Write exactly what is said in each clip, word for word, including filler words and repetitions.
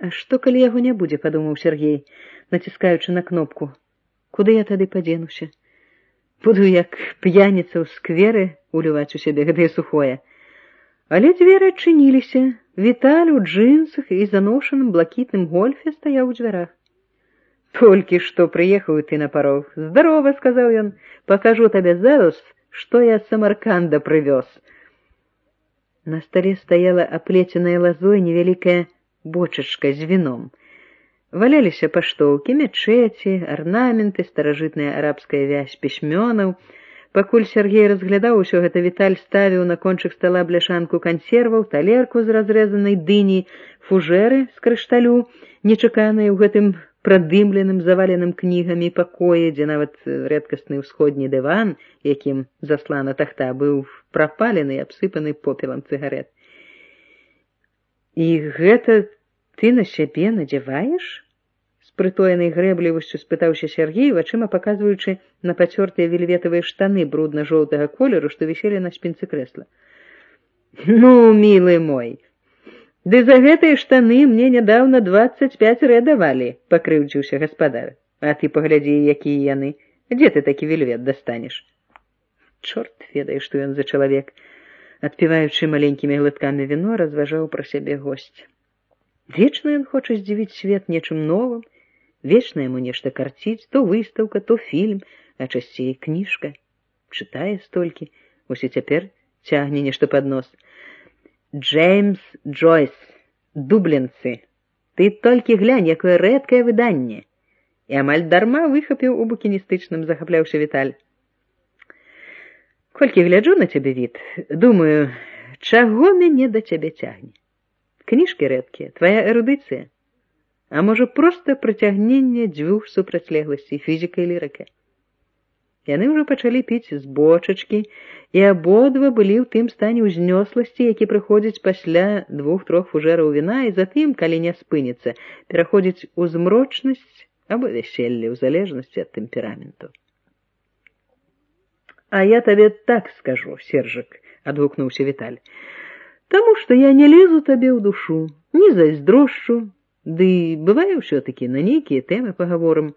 А што, калі яго не будзе, падумаў Сергей, націскаючы на кнопку. Куды я тады падзенуся? Буду як п'яніца ў скверы уліваць у сябе гэтае сухое. Але дзверы адчыніліся. Віталь у джинсах і заношаным блакітным гольфе стаяў у дзвярах. «Толькі што прыехаў ты на парог. Здарова», — сказаў ён, — «пакажу табе зараз, што я з Самарканда прывёз». На стале стаяла аплеценая лазой невялікая бочачка з віном. Валяліся паштоўкі, мячэці, арнаменты, старажытная арабская вязь пісьмёнаў. Пакуль Сергей разглядаў усё гэта, Віталь ставіў на кончык стала бляшанку кансерваў, талерку з разрэзанай дыні, фужэры з крышталю, нечаканыя ў гэтым прадымленым, заваленым кнігамі пакоі, дзе нават рэдкасны ўсходні дыван, якім заслана тахта, быў прапалены і абсыпаны попелам цыгарэт. «І гэта ты на сябе надзяваеш?» З прытоенай грэблівасцю спытаўся Сергей, вачыма паказваючы на пацёртыя вельветавыя штаны брудна-жоўтага колеру, што віселі на спінцы крэсла. «Ну, мілы мой, ды за гэтыя штаны мне нядаўна дваццаць пяць рэ давалі», — пакрыўдзіўся гаспадар. «А ты паглядзі, якія яны. Дзе ты такі вельвет дастанеш?» Чорт ведае, што ён за чалавек. Адпіваючы маленькімі глыткамі віно, разважаў пра сябе госць. Вечна ён хоча здзівіць свет нечым новым, вечна яму нешта карціць, то выстаўка, то фільм, а часцей кніжка. Чытае столькі, ось і цяпер цягне нешта пад нос. «Джеймс Джойс, дублінцы, ты толькі глянь, якое рэдкае выданне!» І амаль дарма выхапіў у букіністычным, захапляўся Віталь. «Колькі гляджу на цябе, Віт, думаю, чаго мяне да цябе цягне? Кніжкі рэдкія, твая эрудыцыя? А можа, проста прыцягненне дзвюх супрацьлегласцей, фізіка і лірыка?» Яны ўжо пачалі піць з бочачкі, і абодва былі ў тым стане ўзнёсласці, які прыходзіць пасля двух-трох фужэраў віна, і затым, калі не спыніцца, пераходзіць у змрочнасць або вяселле, ў залежнасці ад тэмпераменту. «А я табе так скажу, Сержык», — адгукнуўся Віталь, «таму што я не лезу табе ў душу, не зайздрошчу, ды бывае ўсё-такі на нейкія тэмы пагаворым.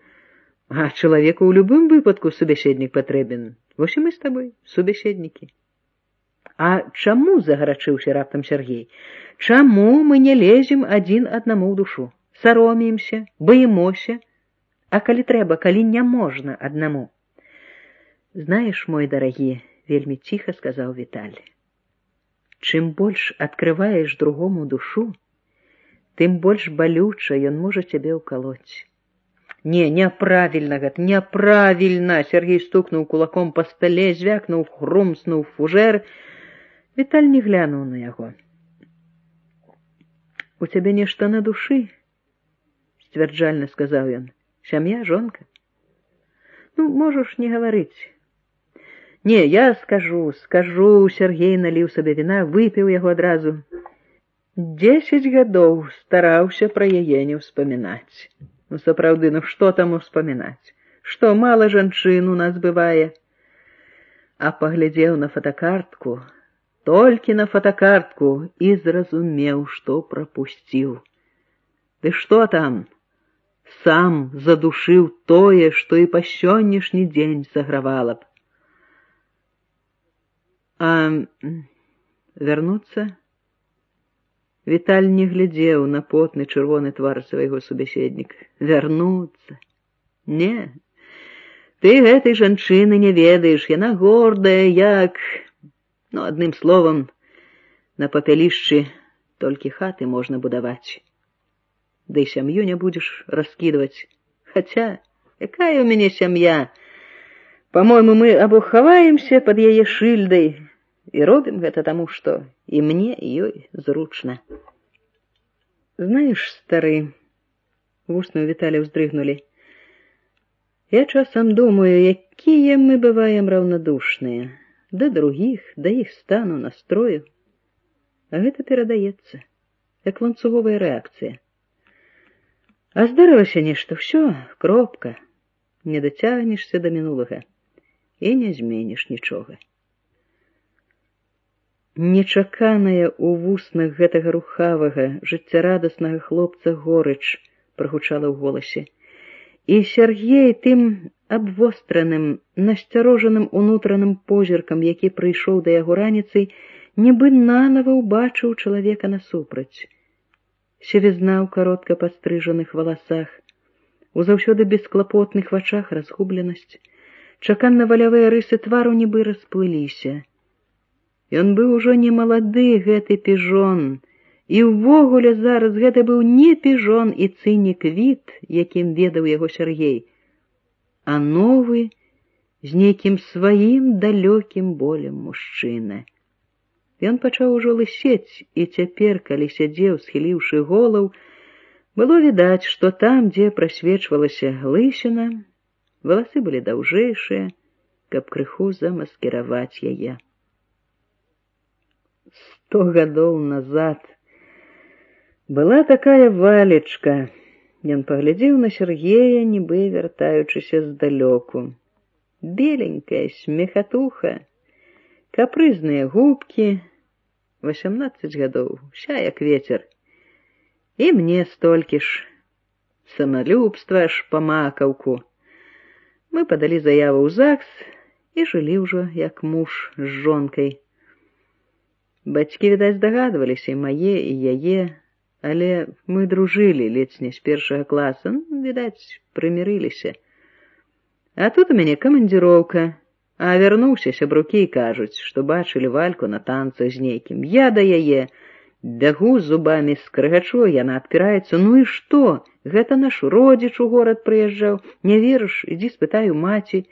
А чалавеку ў любым выпадку субяседнік патрэбен. Вось і мы з табой субяседнікі». «А чаму?» — загарачыўся раптам Сергей. «Чаму мы не лезем адзін аднаму ў душу? Саромеемся, баімося? А калі трэба, калі не можна аднаму?» «Знаеш, мой дарагі, — вельмі ціха сказаў Віталь, — чым больш адкрываеш другому душу, тым больш балюча ён можа цябе ўкалоць». «Не, няправільна гэта, няправільна!» — Сергей стукнуў кулаком па стале, звякнуў, хрумснуў фужэр. Віталь не глянуў на яго. «У цябе нешта на душы?» — сцвярджальна сказаў ён. «Сям'я, жонка? Ну, можаш не гаварыць». «Не, я скажу, скажу», — Сергей наліў сабе віна, выпіў яго адразу. «Дзесяць гадоў стараўся пра яе не ўспамінаць. Ну, сапраўды, ну што там успамінаць? Што, мала жанчын у нас бывае?» А паглядзеў на фотокартку, толькі на фотокартку, і зразумеў, што прапусціў. Ды што там? Сам задушыў тое, што і па сённяшні дзень сагравала б. «А вярнуцца?» Віталь не глядзеў на потны чырвоны твар свайго субяседніка. «Вярнуцца? Не, ты гэтай жанчыны не ведаеш, яна гордая, як... Ну, адным словам, на папялішчы толькі хаты можна будаваць. Да і сям'ю не будзеш раскідваць. Хаця, якая ў мяне сям'я? По-мойму, мы або хаваемся пад яе шыльдай і робім гэта таму, што і мне, і ёй зручна». «Знаеш, стары», — вусны ў Віталя ўздрыгнулі, «я часам думаю, якія мы бываем раўнадушныя да другіх, да іх стану, настрою. А гэта перадаецца, як ланцуговая рэакцыя. А здарылася нешта, ўсё, кропка, не дацягнешся да мінулага і не зменіш нічога». Нечаканая ў вуснах гэтага рухавага, жыццярадаснага хлопца горыч прагучала ў голасе. І Сяргей тым абвостраным, насцярожаным унутраным позіркам, які прыйшоў да яго раніцай, нібы нанава ўбачыў чалавека насупраць. Сівізна ў каротка пастрыжаных валасах, у заўсёды бесклапотных вачах разгубленасць, чаканна-валявыя рысы твару нібы расплыліся. Ён быў ужо не малады, гэты піжон, і ўвогуле зараз гэта быў не піжон і цынік від, якім ведаў яго Сяргей, а новы, з нейкім сваім далёкім болем мужчына. Ён пачаў ужо лысець, і цяпер, калі сядзеў, схіліўшы голаў, было відаць, што там, дзе прасвечвалася лысіна, валасы былі даўжэйшыя, каб крыху замаскіраваць яе. Сто гадоў назад была такая Валечка. Ён паглядзеў на Сяргея, нібы вяртаючыся здалёку. Беленькая смехатуха, капрызныя губкі, васямнаццаць гадоў, уся як ветер. І мне столькі ж, самалюбства аж па макаўку. Мы падалі заяву ў ЗАГС і жылі ўжо як муж з жонкай. Бацькі, відаць, здагадваліся, і мае, і яе, але мы дружылі ледзь не з першага класа, ну, відаць, прымірыліся. А тут у мяне камандзіроўка, а вярнуўся сябрукі і кажуць, што бачылі Вальку на танцах з нейкім. Я да яе бягу з зубамі, скрыгачу, яна адпіраецца. Ну і што? Гэта наш родзіч у горад прыязджаў. Не верыш? Ідзі спытай у маці.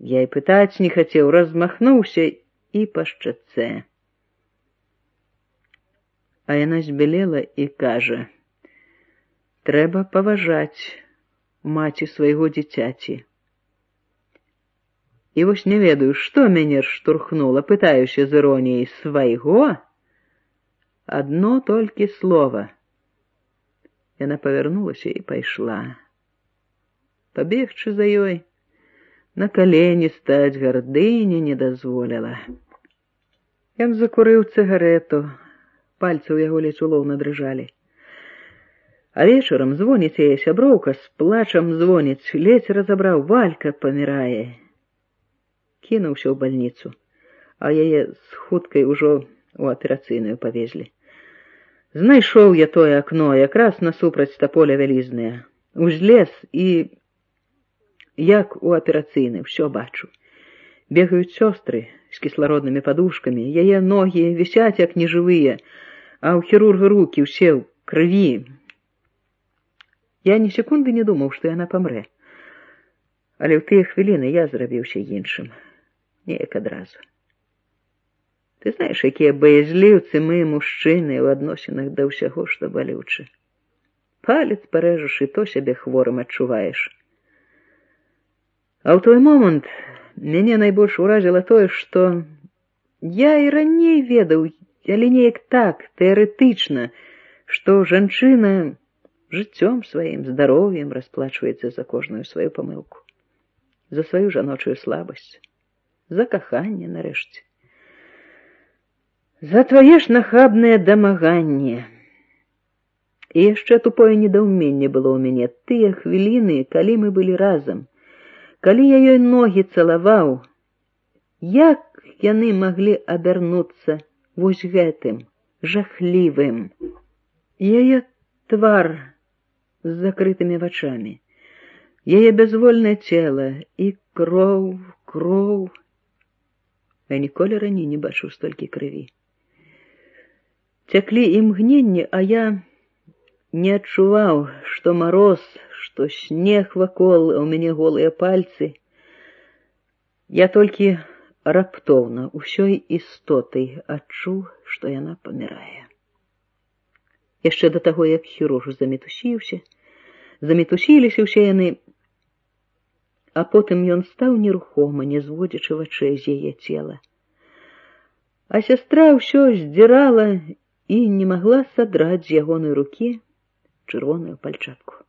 Я і пытаць не хацеў, размахнуўся і па шчацэ. А яна збялела і кажа: трэба паважаць маці свайго дзіцяці. І вось не ведаю, што мяне штурхнула, пытаюся з іроніяй: свайго? Адно толькі слова. Яна павярнулася і пайшла. Пабегчы за ёй, на калені стаць гардыня не дазволіла. Ён закурыў цыгарету, пальцы ў яго ледзь улоўна дрыжалі. А вечарам звоніць яе сяброўка, з плачам звоніць, ледзь разабраў: Валька памірае. Кінуўся ў бальніцу, а яе з хуткай ужо у аперацыйную павезлі. Знайшоў я тое акно, якраз насупраць таполя вялізнае. Узлез і, як у аперацыйнай, усё бачу. Бегаюць сёстры з кіслароднымі падушкамі, яе ногі вісяць як нежывыя, а ў хірурга рукі ўсе ў крыві. Я ні секунды не думаў, што яна памрэ. Але ў тыя хвіліны я зрабіўся іншым. Неяк адразу. Ты знаеш, якія баязліўцы мы, мужчыны, ў адносінах да ўсяго, што балюча. Палец парэжаш, і то сябе хворым адчуваеш. А ў той момант мяне найбольш уразіла тое, што я і раней ведаў, але неяк так, тэарэтычна, што жанчына жыццём сваім, здароўем расплачваецца за кожную сваю памылку, за сваю жаночую слабасць, за каханне, нарэшце, за твае ж нахабнае дамаганне. І яшчэ тупое недаўменне было ў мяне тыя хвіліны, калі мы былі разам, калі я ёй ногі цалаваў, як яны маглі абярнуцца вось гэтым, жахлівым. Яе твар з закрытымі вачамі, яе бязвольнае цела і кроў, кроў. Я ніколі раней не бачыў столькі крыві. Цяклі імгненні, а я не адчуваў, што мароз, што снег вакол, а ў мяне голыя пальцы. Я толькі раптоўна ўсёй істотай адчуў, што яна памірае. Яшчэ да таго, як хірург замітусіўся, замітусіліся ўсе яны, а потым ён стаў нерухома, не зводзячы вачэй з яе цела. А сястра ўсё здзірала і не магла садраць з ягонай рукі чырвоную пальчатку.